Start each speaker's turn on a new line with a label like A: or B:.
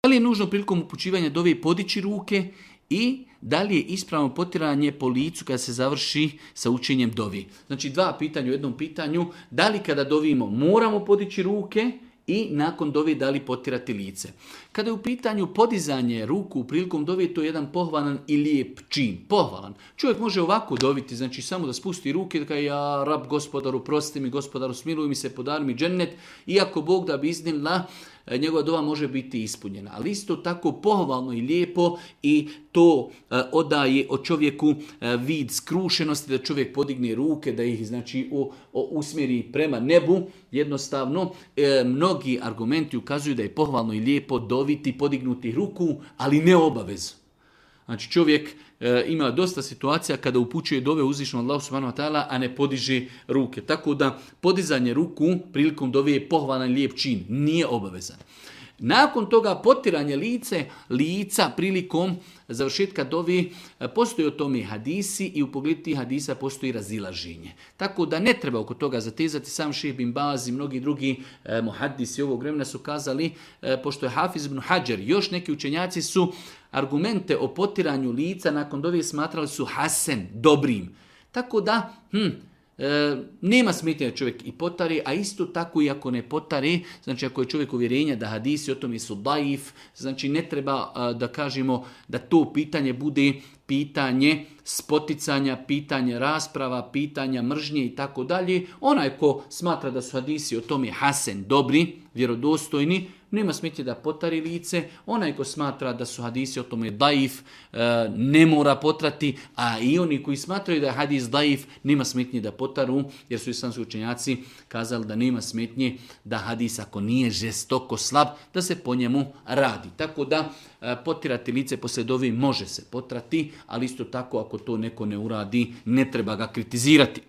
A: Da li je nužno prilikom upućivanja dove podići ruke i da li je ispravno potiranje po licu kada se završi sa učenjem dovi? Znači 2 pitanja u jednom pitanju. Da li kada dovimo moramo podići ruke i nakon dove da li potirati lice? Kada je u pitanju podizanje ruku prilikom dove, to je jedan pohvalan i lijep čin. Pohvalan. Čovjek može ovako doviti, znači samo da spusti ruke, da kaže ja rab gospodaru, prosti mi, gospodaru smiluj mi se, podari mi džennet, iako Bog da bi iznimla, njegova dova može biti ispunjena. Ali isto tako pohvalno i lijepo i to odaje o čovjeku vid skrušenosti, da čovjek podigne ruke, da ih znači usmjeri prema nebu. Jednostavno, mnogi argumenti ukazuju da je pohvalno i lijepo doviti, podignuti ruku, ali ne obavezu. Znači čovjek ima dosta situacija kada upućuje dove uzvišenom Allahu subhanahu wa ta'ala, a ne podiže ruke. Tako da podizanje ruku prilikom dove je pohvalan lijep čin, nije obavezan. Nakon toga potiranje lica prilikom završetka dovi, postoji o tome hadisi i u pogledu tih hadisa postoji razilaženje. Tako da ne treba oko toga zatezati. Sam Šejh bin Baz i mnogi drugi muhaddisi ovog vremena su kazali, pošto je Hafiz ibn Hadžar, još neki učenjaci su argumente o potiranju lica nakon dove smatrali su hasen, dobrim. Tako da, nema smetnje da čovjek i potari, a isto tako i ako ne potari, znači ako je čovjek uvjerenja da hadisi o tome su daif, znači ne treba da kažemo da to pitanje bude pitanje spoticanja, pitanje rasprava, pitanja mržnje i tako dalje. Onaj ko smatra da su hadisi o tome hasen, dobri, vjerodostojni, nema smetnje da potari lice. Onaj ko smatra da su hadisi o tome daif, ne mora potrati, a i oni koji smatraju da je hadis daif, nema smetnje da potaru, jer su islamski učenjaci kazali da nema smetnje da hadis ako nije žestoko slab, da se po njemu radi. Tako da potirati lice poslije dovi može se potrati, ali isto tako ako to neko ne uradi, ne treba ga kritizirati.